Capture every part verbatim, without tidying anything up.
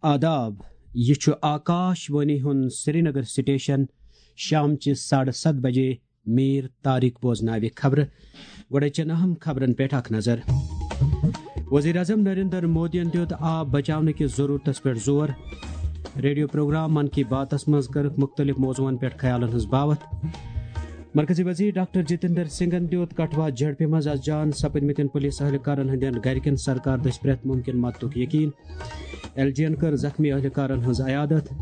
آداب، یہِ چھُ آکاش وانی ہُنٛد سرینگر سٹیشن۔ شامچہِ ساڑٕ ستھ بجے میر طارق بوزناوِ خبرٕ۔ گۄڈے چن اہم خبرن پٮ۪ٹھ اکھ نظر۔ وزیر اعظم نریندر مودیَن دیُت آب بچاونہٕ کِس ضروٗرتس پٮ۪ٹھ زور۔ ریڈیو پروگرام من کی باتس منٛز کٔرٕکھ مُختٔلِف موضوعن پٮ۪ٹھ خیالن ہٕنٛز باوتھ۔ مرکزی وزیر ڈاکٹر جتیندر سنگھن دیُت کٹھوا جھڑپہِ منٛز از جان سپٕدمٕتٮ۪ن پُلیٖس اہلکارن ہٕنٛدٮ۪ن گرِکٮ۪ن سرکار دٔسۍ پرٛٮ۪تھ مُمکِن مدتُک یقین۔ ایل جی یَن کٔر زخمی اہلکارن ہٕنٛز عیادت۔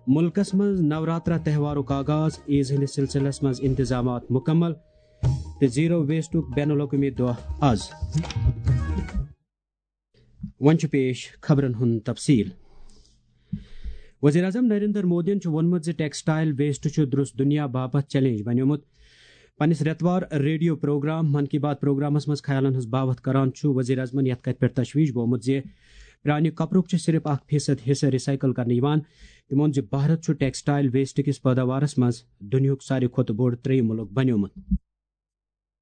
مُلکس منٛز نوراترا تہوارُک آغاز، عیز ہٕنٛدِس سلسلس منٛز انتظامات مکمل۔ تہٕ زیرو ویسٹُک بین الاقوٲمی دۄہ از۔ وۄنۍ چھُ پیش خبرن ہُنٛد تفصیل۔ وزیر اعظم نریندر مودیَن چھُ ووٚنمُت زِ ٹیکسٹائل ویسٹ چھُ درست دُنیا باپتھ چیلنج بنیومُت۔ پننِس رٮ۪توار ریڈیو پروگرام من کی بات پروگرامس منٛز خیالن ہٕنٛز باوتھ کران چھُ وزیر اعظمن یتھ کتھِ پٮ۪ٹھ تشویش بومُت زِ پرانہِ کپرُک چھُ صرف اکھ فیصد حصہٕ ریسائیکل کرنہٕ یِوان۔ تِمو ووٚن زِ بھارت چھُ ٹیکسٹائل ویسٹ کِس پٲداوارس منٛز دُنیاہُک ساروی کھۄتہٕ بوٚڑ ترٛیٚیِم مُلک بنیومُت۔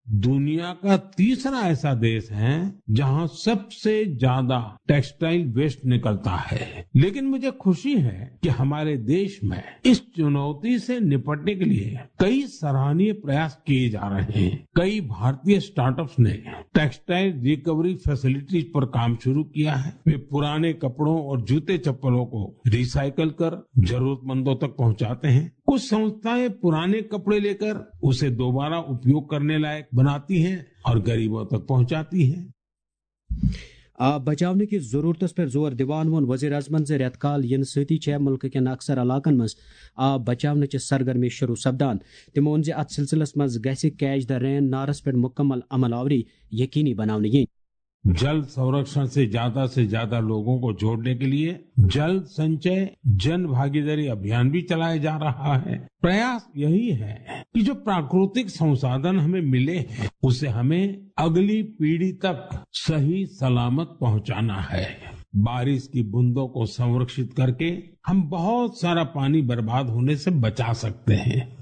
दुनिया का तीसरा ऐसा देश है जहां सबसे ज्यादा टेक्सटाइल वेस्ट निकलता है, लेकिन मुझे खुशी है कि हमारे देश में इस चुनौती से निपटने के लिए कई सराहनीय प्रयास किए जा रहे हैं। कई भारतीय स्टार्टअप्स ने टेक्सटाइल रिकवरी फैसिलिटीज पर काम शुरू किया है। वे पुराने कपड़ों और जूते चप्पलों को रिसाइकल कर जरूरतमंदों तक पहुंचाते हैं। कुछ संस्थाएं पुराने कपड़े लेकर उसे दोबारा उपयोग करने लायक बनाती हैं और गरीबों तक पहुंचाती हैं। آب بچاونہٕ کِس ضروٗرتس پٮ۪ٹھ زور دِوان ووٚن وزیر اعظمن زِ رٮ۪تہٕ کال یِنہٕ سۭتی چھےٚ مُلکہٕ کٮ۪ن اکثر علاقن منٛز آب بچاونٕچہِ سرگرمی شروٗع سپدان۔ تِمو ووٚن زِ اتھ سلسلس منٛز گژھِ کیچ دی رین نعرس پٮ۪ٹھ مکمل عمل آوری یقینی بناونہٕ یِنۍ۔ जल संरक्षण से ज्यादा से ज्यादा लोगों को जोड़ने के लिए जल संचय जन भागीदारी अभियान भी चलाया जा रहा है। प्रयास यही है कि जो प्राकृतिक संसाधन हमें मिले हैं, उसे हमें अगली पीढ़ी तक सही सलामत पहुंचाना है। बारिश की बूंदों को संरक्षित करके हम बहुत सारा पानी बर्बाद होने से बचा सकते हैं।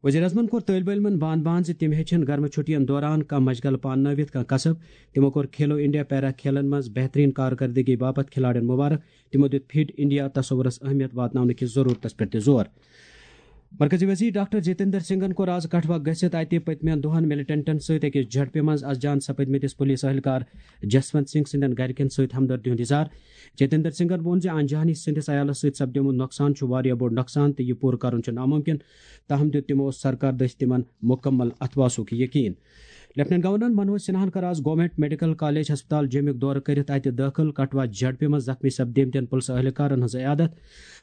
وزیر اعظمن کوٚر طٲلبہِ علمن بان بان زِ تِم ہیٚچھن گرمہٕ چھُٹین دوران کانٛہہ مشغلہٕ پاننٲوِتھ کانٛہہ کسب۔ تِمو کوٚر کھیلو انڈیا پیرا کھیلن منٛز بہترین کارکردگی باپتھ کھلاڑٮ۪ن مبارک۔ تِمو دیُت فٹ انڈیا تصورس اہمیت واتناونہٕ کِس ضروٗرتس پٮ۪ٹھ تہِ زور۔ مرکزی وزیر ڈاکٹر جتیندر سنگھن کوٚر از کٹھوا گٔژھِتھ اتہِ پٔتمٮ۪ن دۄہن ملیٹنٹن سۭتۍ أکِس جھڑپہِ منٛز از جان سپٕدمٕتِس پُلیٖس اہلکار جسونت سنگھ سٕنٛدٮ۪ن گرِکٮ۪ن سۭتۍ ہمدردی ہُنٛد اظہار۔ جتیندر سنگھن ووٚن زِ انجانی سٕنٛدِس عیالس سۭتۍ سپدیومُت نۄقصان چھُ واریاہ بوٚڑ نۄقصان تہٕ یہِ پوٗرٕ کرُن چھُ ناممکن، تاہم دیُت تِمو سرکار دٔسۍ تِمن مُکمل اتھواسُک یقین۔ لیفٹیننٹ گورنر منوج سنہاہن کٔر از گورنمنٹ میڈیکل کالج ہسپتال جیمُک دورٕ کٔرِتھ اتہِ دٲخل کٹھوا جھڑپہِ منٛز زخمی سپدیمتٮ۪ن پُلسہٕ اہلکارن ہٕنٛز عیادت۔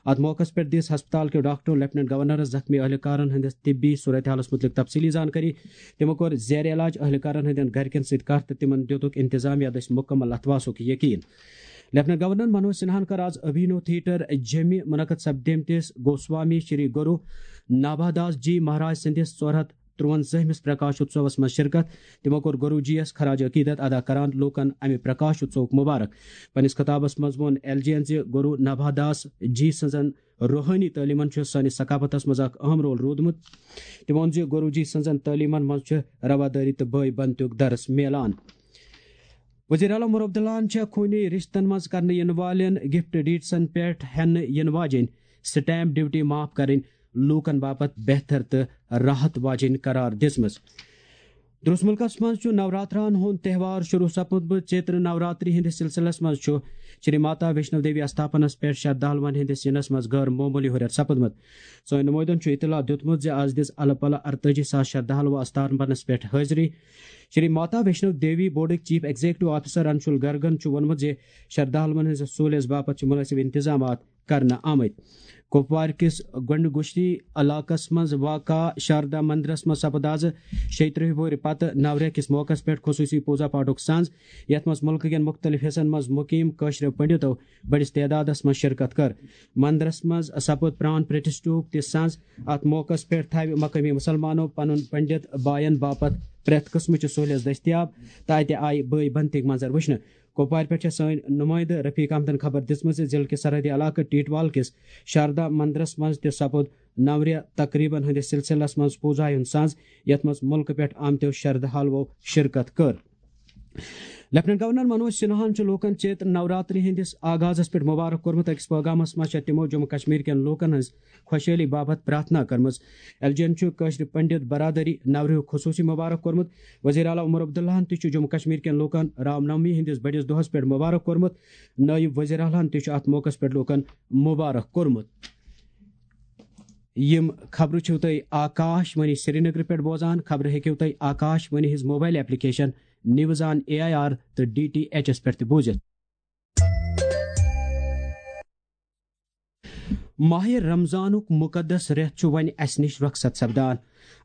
اتھ موقعس پٮ۪ٹھ دِژ ہسپتال کیو ڈاکٹرو لیفٹیننٹ گورنرس زخمی اہلکارن ہٕنٛدِس طبی صورتحالس مُتعلق تفصیلی زانکٲری۔ تِمو کوٚر زیر علاج اہلکارن ہٕنٛدٮ۪ن گرِکٮ۪ن سۭتۍ کتھ تہٕ تِمن دِتُکھ انتظامیہ دٔسۍ مُکمل اتھواسُک یقین۔ لیفٹیننٹ گورنر منوج سنہاہن کٔر از ابھینو تھیٹر جیمہِ منعقد سپدیمتِس گوسوامی شری گرو نابھا داس جی مہاراج سٕنٛدِس ژور ہتھ ترٛوَنزٲہمِس پرکاش اتسوس منٛز شرکت۔ تِمو کوٚر گروجی یس خراج عقیدت ادا کران لوٗکن امہِ پرکاش اتسوُک مبارک۔ پننِس خطابس منٛز ووٚن ایل جی ین زِ گرو نبھا داس جی سٕنٛزن روحٲنی تعلیمن چھُ سٲنِس ثقافتس منٛز اکھ اہم رول روٗدمُت۔ تِمو ووٚن زِ گروجی سٕنٛزن تعلیمن منٛز چھُ روادٲری تہٕ بٲے بنتُک درس میلان۔ وزیر اعلیٰ عمر عبداللہن چھےٚ خوٗنی رشتن منٛز کرنہٕ یِنہٕ والٮ۪ن گفٹ ڈیڈسن پٮ۪ٹھ ہٮ۪نہٕ یِنہٕ واجیٚنۍ سٹیمپ ڈیوٹی معاف کرٕنۍ لوٗکن باپتھ بہتر تہٕ راحت واجیٚنۍ قرار دِژمٕژ۔ درس مُلکس منٛز چھُ نوراترہن ہُنٛد تہوار شروع سپُدمُت۔ چیتر نوراتری ہٕنٛدِس سلسلس منٛز چھُ شری ماتا ویشنو دیوی استھاپنس پٮ۪ٹھ شردھالوَن ہٕنٛدِس یِنس منٛز غٲر معموٗلی ہُرٮ۪ر سپُدمُت۔ سٲنۍ نُمٲیدن چھُ اطلاع دیُتمُت زِ از دِژ الہٕ پلہٕ ارتٲجی ساس شردھالو استھاپنس پٮ۪ٹھ حٲضری۔ شری ماتا ویشنو دیوی بورڈٕکۍ چیف ایگزیکٹو آفیسر انشول گرگن چھُ ووٚنمُت زِ شردھالوَن ہٕنٛزِ سہوٗلیژ باپتھ چھِ مُنٲسِب انتظامات کرنہٕ آمٕتۍ۔ کپوارِ کِس گنڈگوشتی علاقس منٛز واقع شاردا مندرس منٛز سپُد از شیٚیہِ ترٕٛہ وُہرۍ پتہٕ نورہ کِس موقعس پٮ۪ٹھ خصوٗصی پوٗزا پاٹھُک سنز، یتھ منٛز مُلکہٕ کٮ۪ن مُختٔلِف حصن منٛز مُقیم کٲشرٮ۪و پنڈتو بٔڑِس تعدادس منٛز شرکت کٔر۔ مندرس منٛز سپُد پران پرتشٹھُک تہِ سنز۔ اتھ موقعس پٮ۪ٹھ تھاوِ مقٲمی مُسلمانو پنُن پنڈت باین باپتھ پرٛٮ۪تھ قٕسمٕچہِ سہوٗلیژ دٔستیاب تہٕ اتہِ آیہِ بٲے بنتٕکۍ منظر وٕچھنہٕ۔ کپوارِ پٮ۪ٹھ چھےٚ سٲنۍ نُمٲیدٕ رفیق احمدن خبر دِژمٕژ زِ ضلعہٕ کِس سرحدی علاقہٕ ٹیٹوال کِس شاردا مندرس منٛز تہِ سپُد نورِ تقریبن ہٕنٛدِس سلسلس منٛز پوٗزایہِ ہُنٛد سنٛز، یتھ منٛز مُلکہٕ پٮ۪ٹھ آمتیو شرد حالوو شرکت کٔر۔ لیفٹیننٹ گورنر منوج سنہاہن چھُ لوٗکن چیت نوراتری ہٕنٛدِس آغازس پٮ۪ٹھ مبارک کوٚرمُت۔ أکِس پٲغامس منٛز چھےٚ تِمو جموں کشمیر کٮ۪ن لوٗکن ہٕنٛز خۄشحٲلی باپتھ پرارتھنا کٔرمٕژ۔ ایل جی یَن چھُ کٲشرِ پنڈت برادری نورُک خصوٗصی مبارک کوٚرمُت۔ وزیر اعلیٰ عمر عبداللہن تہِ چھُ جموں کشمیر کٮ۪ن لوٗکن رام نومی ہٕنٛدِس بٔڑِس دۄہس پٮ۪ٹھ مبارک کوٚرمُت۔ نٲیِب وزیر اعلیٰ ہن تہِ چھُ اتھ موقعس پٮ۪ٹھ لوٗکن مبارک کوٚرمُت۔ یِم خبرٕ چھِو تُہۍ آکاش وانی سرینگرٕ پٮ۪ٹھ بوزان۔ خبرٕ ہیٚکِو تُہۍ آکاش وانی ہٕنٛز mobile application news on A I R تہٕ ڈی ٹی ایچ ایس پٮ۪ٹھ تہِ بوٗزِتھ۔ ماہِ رمضانُک مُقدس رٮ۪تھ چھُ وۄنۍ اَسہِ نِش رۄخصت سپدان۔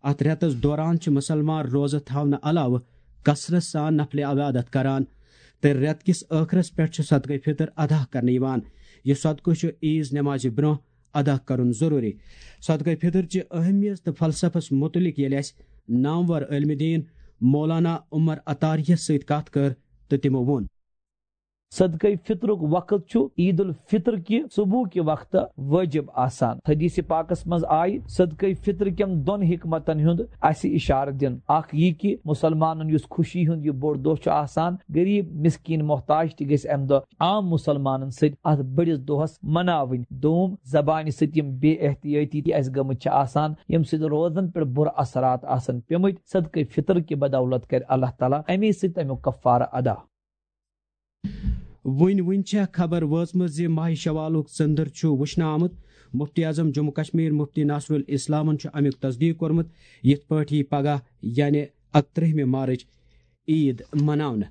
اَتھ رٮ۪تَس دوران چھِ مُسلمان روزٕ تھاونہٕ علاوٕ کثرت سان نفلِ عبادت کران تہٕ رٮ۪تہٕ کِس ٲخرس پٮ۪ٹھ چھُ صدقے فطر ادا کرنہٕ یِوان۔ یہِ صدقہٕ چھُ عیٖذ نٮ۪مازِ برٛونٛہہ ادا کرُن ضروٗری۔ صدقے فطر چہِ اہمیت تہٕ فلسفس مُتعلق ییٚلہِ اَسہِ نامور عٲلمِ دیٖن مولانا عمر عطاریَس سۭتۍ کتھ کٔر تہٕ تِمو ووٚن۔ صدقے فطرُک وقت چھُ عید الفطر کہِ صبحُک وقت واجب آسان۔ حدیث پاکس منٛز آیہِ صدقے فطر کٮ۪ن دۄن حکمتن ہُنٛد اَسہِ اِشارٕ دِنہٕ۔ اکھ یہِ کہِ مُسلمانن یُس خوشی ہُنٛد یہِ بوٚڑ دۄہ چھُ آسان، غریب، مسکین، محتاج تہِ گژھِ اَمہِ دۄہ عام مُسلمانن سۭتۍ اَتھ بٔڑِس دۄہس مناوٕنۍ۔ دوم، زبانہِ سۭتۍ یِم بے احتیٲطی تہِ اَسہِ گٔمٕتۍ چھِ آسان، ییٚمہِ سۭتۍ روزن پٮ۪ٹھ بُرٕ اثرات آسن پیٚمٕتۍ، صدقے فطر کہِ بدولت کرِ اللہ تعالیٰ اَمے سۭتۍ اَمیُک کفارٕ ادا۔ وُنہِ وُنہِ چھےٚ خبر وٲژمٕژ زِ ماہِ شوالُک ژٔنٛدٕر چھُ وُچھنہٕ آمُت۔ مفتی اعظم جموں کشمیر مفتی ناصر الاسلامن چھُ اَمیُک تصدیق کوٚرمُت۔ یِتھ پٲٹھۍ یہِ پگاہ یعنی اَکترٛہمہِ مارچ عید مناونہٕ۔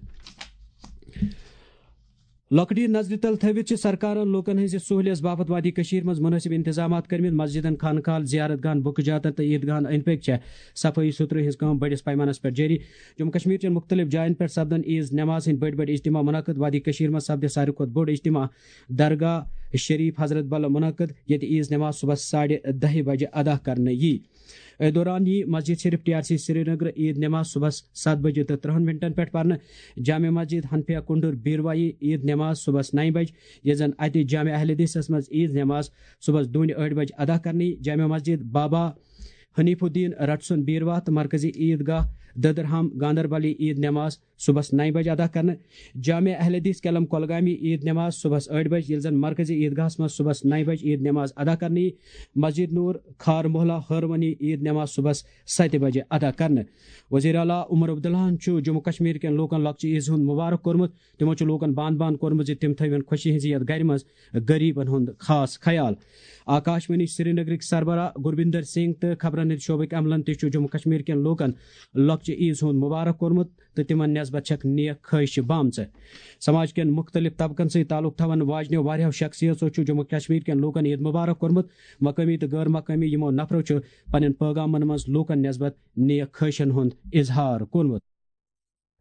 لۄکٹہِ نظرِ تل تھٲوِتھ چھِ سرکارن لوٗکن ہٕنٛزِ سہوٗلیژ باپتھ وادی کٔشیٖر منٛز مُنٲسِب انتظامات کٔرمٕتۍ۔ مسجدن، خانقاہن، زیارت گاہن، بُکہٕ جاتن تہٕ عیٖدگاہن أنٛدۍ پٔکۍ چھےٚ صفٲیی ستھرٲیی ہٕنٛز کٲم بٔڑِس پیمانس پٮ۪ٹھ جٲری۔ جموں کشمیر چٮ۪ن مُختٔلِف جاین پٮ۪ٹھ سپدن عیٖذ نٮ۪ماز ہٕنٛدۍ بٔڑۍ بٔڑۍ اجتماع منعقد۔ وادی کٔشیٖر منٛز سپدِ ساروی کھۄتہٕ بوٚڑ اجتماع درگاہ شریف حضرت بل منعقد، ییٚتہِ عیٖذ نٮ۪ماز صُبحس ساڑِ دَہہِ بجہِ ادا کرنہٕ یی۔ أتھۍ دوران یی مسجد شریف ٹی آر سی سرینگر عیٖد نٮ۪ماز صُبحس ستھ بجہِ تہٕ ترٕٛہن منٹن پٮ۪ٹھ پرنہٕ۔ جامع مسجد حنفیہ کنڈور بیروایی عیٖد نٮ۪ماز صُبحس نَیہِ بجہِ، ییٚتہِ زن اتہِ جامع اہل حدیثس منٛز عیٖذ نٮ۪ماز صُبحس دۄنہِ ٲٹھِ بجہِ ادا کرنہٕ یی۔ جامع مسجد بابا حنیف الدین رٹسون بیرواہ تہٕ مرکزی عیٖد گاہ دٔدرہام گاندربلی عیٖد نٮ۪ماز صُبحس نَیہِ بجہِ ادا کرنہٕ۔ جامع اہل حدیث کیلم کۄلگامی عیٖد نٮ۪ماز صُبحس ٲٹھِ بجہِ، ییٚلہِ زن مرکزی عیٖد گاہس منٛز صُبحس نَیہِ بجہِ عیٖد نٮ۪ماز ادا کرنہٕ یی۔ مسجد نور کھار محلہ ہٲروانی عیٖد نٮ۪ماز صُبحس ستہِ بجہِ ادا کرنہٕ۔ وزیر اعلیٰ عمر عبداللہن چھُ جموں کشمیر کٮ۪ن لوٗکن لۄکچہِ عیٖز ہُنٛد مبارک کوٚرمُت۔ تِمو چھُ لوٗکن باند باند کوٚرمُت زِ تِم تھٲوِن خوشی ہٕنٛزِ یتھ گرِ منٛز غریبن ہُنٛد خاص خیال۔ آکاش وانی سرینگرٕکۍ سربراہ گربندر سنگھ تہٕ خبرن ہٕنٛدۍ شعبٕکۍ عملن تہِ چھُ جموں کشمیر کٮ۪ن لوٗکن لۄکچہِ عیٖز ہُنٛد مبارک کوٚرمُت تہٕ تِمن نسبت چھکھ نیک خواہشہِ بامژٕ۔ سماج کٮ۪ن مُختٔلِف طبقن سۭتۍ تعلق تھاون واجنیو واریاہو شخصیژو چھُ جموں کشمیر کٮ۪ن لوٗکن عیٖد مبارک کوٚرمُت۔ مقٲمی تہٕ غٲر مقٲمی یِمو نفرو چھُ پننٮ۪ن پٲغامن منٛز لوٗکن نسبت نیک خواہشن ہُنٛد اظہار کوٚرمُت۔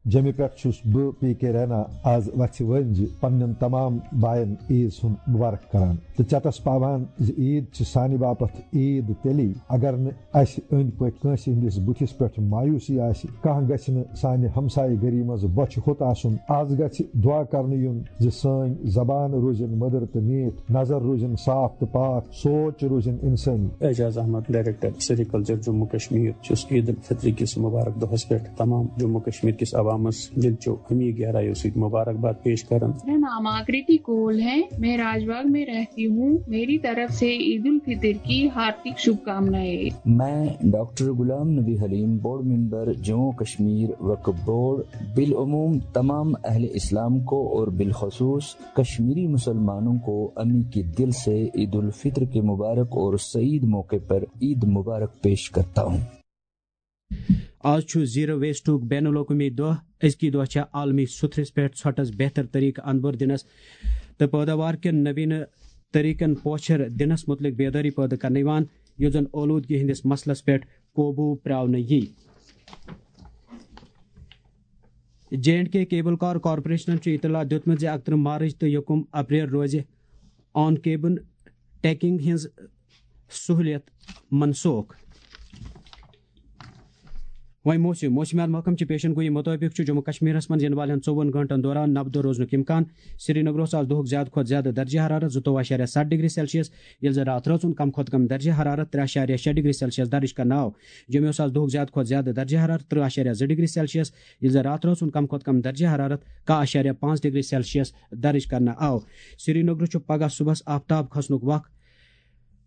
جیٚمہِ پٮ۪ٹھ چھُس بہٕ پی کے رینا آز وَژھِ وٲنجہِ پننٮ۪ن تمام باین عیٖد ہُنٛد مُبارک کران تہٕ چٹس پاوان زِ عیٖد چھِ سانہِ باپتھ عیٖد تیٚلی اگر نہٕ اسہِ أنٛدۍ پٔکۍ کٲنٛسہِ ہٕنٛدِس بُتھِس پٮ۪ٹھ مایوسی آسہِ۔ کانٛہہ گژھِ نہٕ سانہِ ہمسایہِ گٔری منٛز بۄچھِ ہوٚت آسُن۔ از گژھِ دُعا کرنہٕ یُن زِ سٲنۍ زبان روزن مٔدٕر تہٕ میٖٹھ، نظر روزن صاف تہٕ پاک، سونچ روزن انسٲنی۔ اعجاز احمد، ڈائریکٹر سیریکلچر، جموں کشمیر، چھُس عید الفطر کِس مبارک دۄہس پٮ۪ٹھ تمام جموں کشمیر کِس عوامس دِلچو غمی گہرایو سۭتۍ مبارکباد پیش کران۔ میرا نام آکریتی کول ہے، میں راج باغ میں رہتی ہوں۔ میری طرف سے عید الفطر کی ہاردک شبھ کامنائیں۔ میں ڈاکٹر غلام نبی حلیم، بورڈ ممبر، جموں کشمیر وقف بورڈ، بالعموم تمام اہل اسلام کو اور بالخصوص کشمیری مسلمانوں کو امی کے دل سے عید الفطر کے مبارک اور سعید موقع پر عید مبارک پیش کرتا ہوں۔ آز چھُ زیرو ویسٹُک بین الاقوٲمی دۄہ۔ أزکی دۄہ چھےٚ عالمی سُتھرِس پٮ۪ٹھ ژھۄٹس بہتر طریقہٕ انبر دِنس تہٕ پٲداوار کٮ۪ن نویٖنہٕ طریقن پوچھر دِنس مُتعلق بیدٲری پٲدٕ کرنہٕ یِوان، یُتھ زن اولوٗدگی ہٕنٛدِس مسلس پٮ۪ٹھ قوبوٗ پرٛاونہٕ یی۔ J and K cable car کارپوریشنن چھُ اطلاع دیُتمُت زِ اکترٕہ مارچ تہٕ یکم اپریل روزِ آن کیبن ٹیکنگ ہٕنٛز سہوٗلیت منسوخ۔ وۄنۍ موسم۔ موسمیات محکمہٕ چہِ پیشن گویی مُطٲبِق چھُ جموں کشمیرس منٛز یِنہٕ والٮ۪ن ژوٚوُہن گٲنٛٹن دوران نبہٕ دۄہ روزنُک امکان۔ سرینگرس آز دۄہُک زیادٕ کھۄتہٕ زیادٕ درجہ حرارت زٕتووُہ اعشاریہ ستھ ڈگری سیلسیس، ییٚلہِ زن راتھ رٲژ ہُنٛد کم کھۄتہٕ کم درجہ حرارت ترٛےٚ اعشاریہ شےٚ ڈگری سیلسیس درج کرنہٕ آو۔ جوٚمیوس آز دۄہُک زیادٕ کھۄتہٕ زیادٕ درجہ حرارت ترٕٛہ اعشاریہ زٕ ڈگری سیلسیس، ییٚلہِ زن راتھ رٲژ ہُنٛد کم کھۄتہٕ کم درجہ حرارت کاہ اعشاریہ پانٛژھ ڈگری سیلسیس درج کرنہٕ آو۔ سرینگرٕ چھُ پگاہ صُبحس آفتاب کھسنُک وق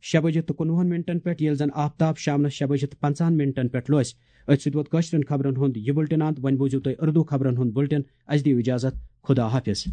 شےٚ بجہِ تہٕ کُنوُہن منٹن پٮ۪ٹھ، ییٚلہِ زن آفتاب شامنس شےٚ بجہِ تہٕ پنٛژاہن منٹن پٮ۪ٹھ لوسہِ۔ أتھۍ سۭتۍ ووت کٲشرٮ۪ن خبرن ہُنٛد یہِ بُلٹن اند۔ وۄنۍ بوٗزِو تُہۍ اردو خبرن ہُنٛد بُلٹن۔ اَسہِ دِیِو اجازت۔ خدا حافظ۔